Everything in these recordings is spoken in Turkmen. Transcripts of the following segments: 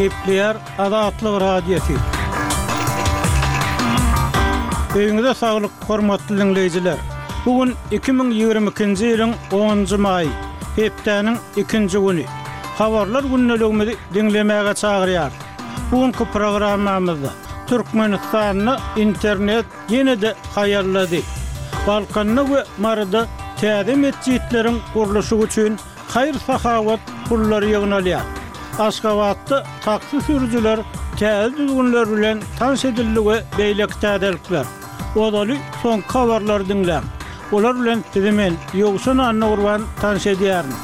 Gepleýär Azatlyk Radiosy. Öýüňize saglyk, hormatly diňleýjiler! Bu gün 2022-nji ýylyň onunjy maýy, hepdäniň ikinji güni. Habarlar gündeligimizi diňlemäge çagyrýarys. Bu günki programmamyzda Türkmenistanda internet ýene-de haýallady. Balkanda we Maryda täze metjitleriň gurluşygy üçin haýyr-sahawat pullary ýygnalýar. Aşgabatda taksi sürüjiler täze düzgünler bilen tanyş edildi we beýleki täzelikler. Ozaly soňky habarlary diňläň. Olar bilen sizi men, Ýowşan Annagurban tanyş edýärin.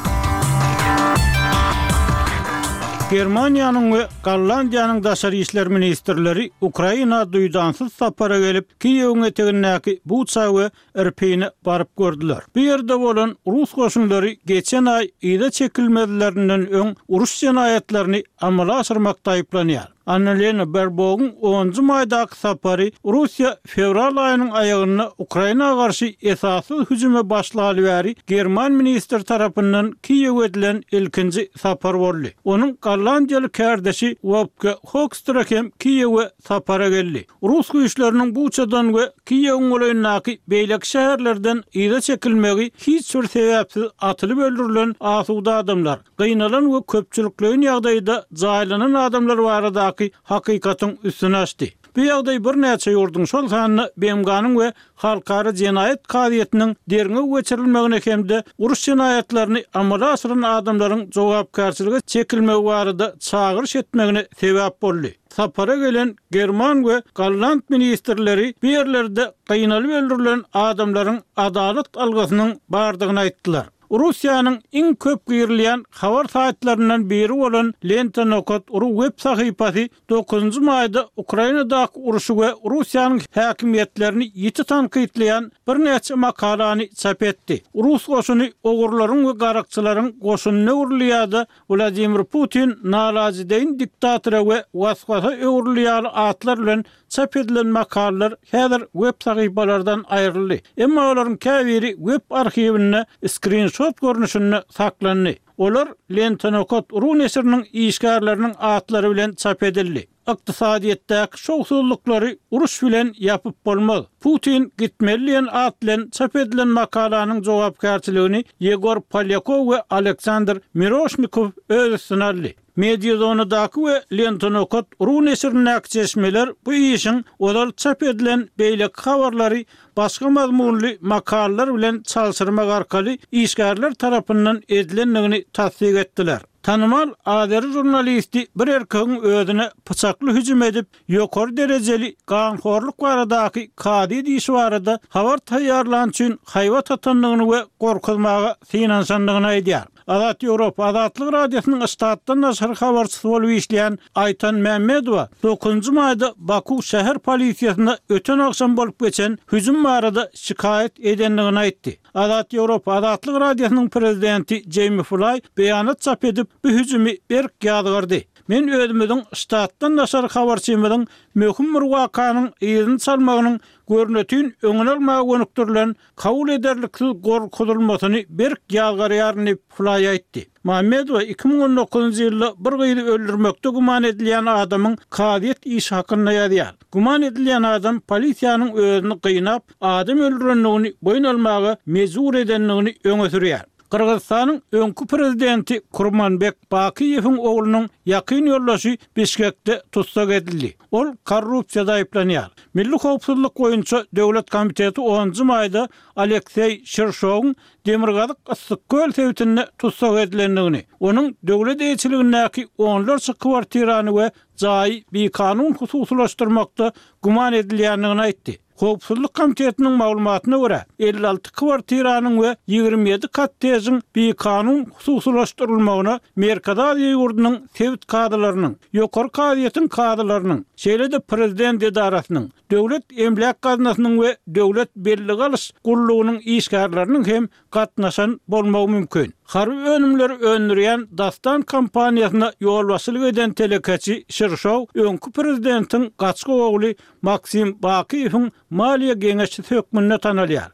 Germaniýanyň we Gollandiýanyň daşary işler ministrleri Ukraina duýdansyz sapara gelip, Kiýewiň etegindäki Buça we Irpine baryp gördüler. Bu ýerde bolan rus goşunlary geçen aý yza çekilmezlerinden öň uruş jenaýatlaryny amala aşyrmakda aýyplanýar. Annalena Berbogyň onunjy maýdaky sapary Russiýa fewral aýynyň aýagynda Ukraina garşy esassyz hüjüme başlaly bäri german ministri tarapyndan Kiýewe edilen ilkinji sapar boldy. Onuň gollandiýaly kärdeşi Wopke Hoekstra hem Kiýewe sapara geldi. Rus güýçleriniň Buçadan we Kiýewiň golaýyndaky beýleki şäherlerden yza çekilmegi hiç bir sebäpsiz atylyp öldürilen asuda adamlar, gynalan we köpçülikleýin ýagdaýda jaýlanan adamlar baradaky hakykatyň üstüni açdy. Bu ýagdaý birnäçe ýurduň, şol sanda BMG-niň we Halkara jenaýat kazyýetiniň derňew geçirilmegine hem-de uruş jenaýatlaryny amala aşyran adamlaryň jogapkärçilige çekilmegi barada çagyryş etmegine sebäp boldy. Sapara gelen german we golland ministrleri bu ýerlerde gynalyp öldürilen adamlaryň adalat algysynyň bardygyny aýtdylar. Russiýanyň iň köp girilýän habar saýtlaryndan biri bolan Lenta nokat ru web sahypasy dokuzynjy maýda Ukrainadaky urşy we Russiýanyň häkimiýetlerini ýiti tankytlaýan birnäçe makalany çap etdi. Rus goşuny ogurlaryň we garakçylaryň goşunyna öwrüldi ýa-da Wladimir Putin nalajedeýin diktatora we was-wasa öwrüldi ýaly atlar bilen çap edilen makalalar häzir web sahypalardan aýryldy. Emma olaryň käbiri web arhiwinde skrinşot görnüşinde saklandy. Olar Lenta-nokat ru neşiriniň işgärleriniň atlary bilen çap edildi. Ykdysadyýetdäki şowsuzlyklary uruş bilen ýapyp bolmaz. Putin gitmeli diýen at bilen çap edilen makalanyň jogapkärçiligini Ýegor Polýakow we Aleksandr Miroşnikow öz üstüne aldy. Mediazonadaky we Lenta-nokat ru neşirindäki çeşmeler bu işiň ozal çap edilen beýleki habarlary başga mazmunly makalalar bilen çalşyrmak arkaly işgärler tarapyndan edilendigini tassyk etdiler. Tanymal azeri žurnalisti bir erkegiň özüne pyçakly hüjüm edip, ýokary derejeli ganhorluk baradaky kazyýet işi barada habar taýýarlany üçin haýbat atandygyny we gorkuzmaga synanyşandygyny aýdýar. Azat Ýewropa Azatlyk Radiosynyň ştatdan daşary habarçysy bolup işleýän Aýtan Mämmedowa dokuzynjy maýda Baku şäher polisiýasynda öten agşam bolup geçen hüjüm barada şikaýat edendigini aýtdy. Azat Ýewropa Azatlyk Radiosynyň prezidenti Jeými Flaý beýanat çap edip, bu hüjümi berk ýazgardy. Men özümiziň ştatdan daşary habarçymyzyň möhüm bir wakanyň yzyny çalmagynyň görnetin öňüni almaga gönükdirilen kabul ederliksiz gorkuzylmasyny berk ýazgarýaryn diýip, Flaý aýtdy. Mammedowa 2019-njy ýylda bir gyzy öldürmekde güman edilýän adamyň kazyýet işi hakynda ýazýar. Güman edilýän adam polisiýanyň özüni gynap, adam öldürendigini boýun almaga mejbur edendigini öňe sürýär. Gyrgyzystanyň öňki prezidenti Kurmanbek Bakyýewiň oglunyň ýakyn ýoldaşy Bişkekde tussag edildi. Ol korrupsiýada aýyplanýar. Milli howpsuzlyk boýunça döwlet komiteti onunjy maýda Alekseý Şirşowyň demirgazyk Yssyk-Köl sebitinde tussag edilendigini, onuň döwlet eýeçiligindäki onlarça kwartirany we jaýy bikanun hususylaşdyrmakda güman edilýändigini aýtdy. Howpsuzlyk komitetiniň maglumatyna görä, 56 kwartiranyň we 27 kottejiň bikanun hususylaşdyrylmagyna Merkezi Aziýa ýurdunyň sebit kazylarynyň, Ýokary kazyýetiň kazylarynyň, şeýle-de prezident edarasynyň, Döwlet emläk gaznasynyň we Döwlet bellige alyş gullugynyň işgärleriniň hem gatnaşan bolmagy mümkin. Harby önümleri öndürýän Dastan kompaniýasyna ýolbaşçylyk eden telekeçi Şirşow öňki prezidentiň gaçgak ogly Maksim Bakyýewiň maliýe geňeşçisi hökmünde tanalýar.